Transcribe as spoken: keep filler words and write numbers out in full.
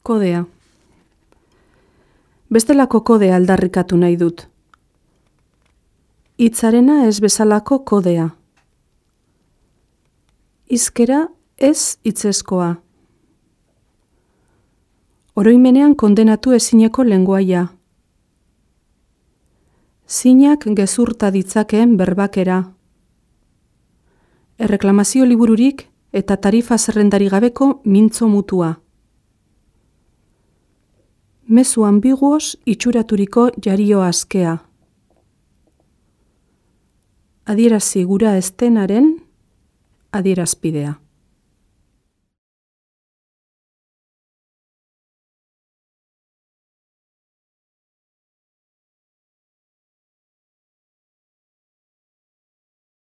Kodea. Bestelako kodea aldarrikatu nahi dut. Hitzarena ez bezalako kodea. Hizkera ez hitzezkoa. Oroimenean kondenatu ezineko lengoaia. Zinak gezurta ditzakeen berbakera. Erreklamazio libururik eta tarifa zerrendari gabeko mintzo mutua. Mezu ambiguos itxuraturiko jario askea. Adierazi gura estenaren adierazpidea.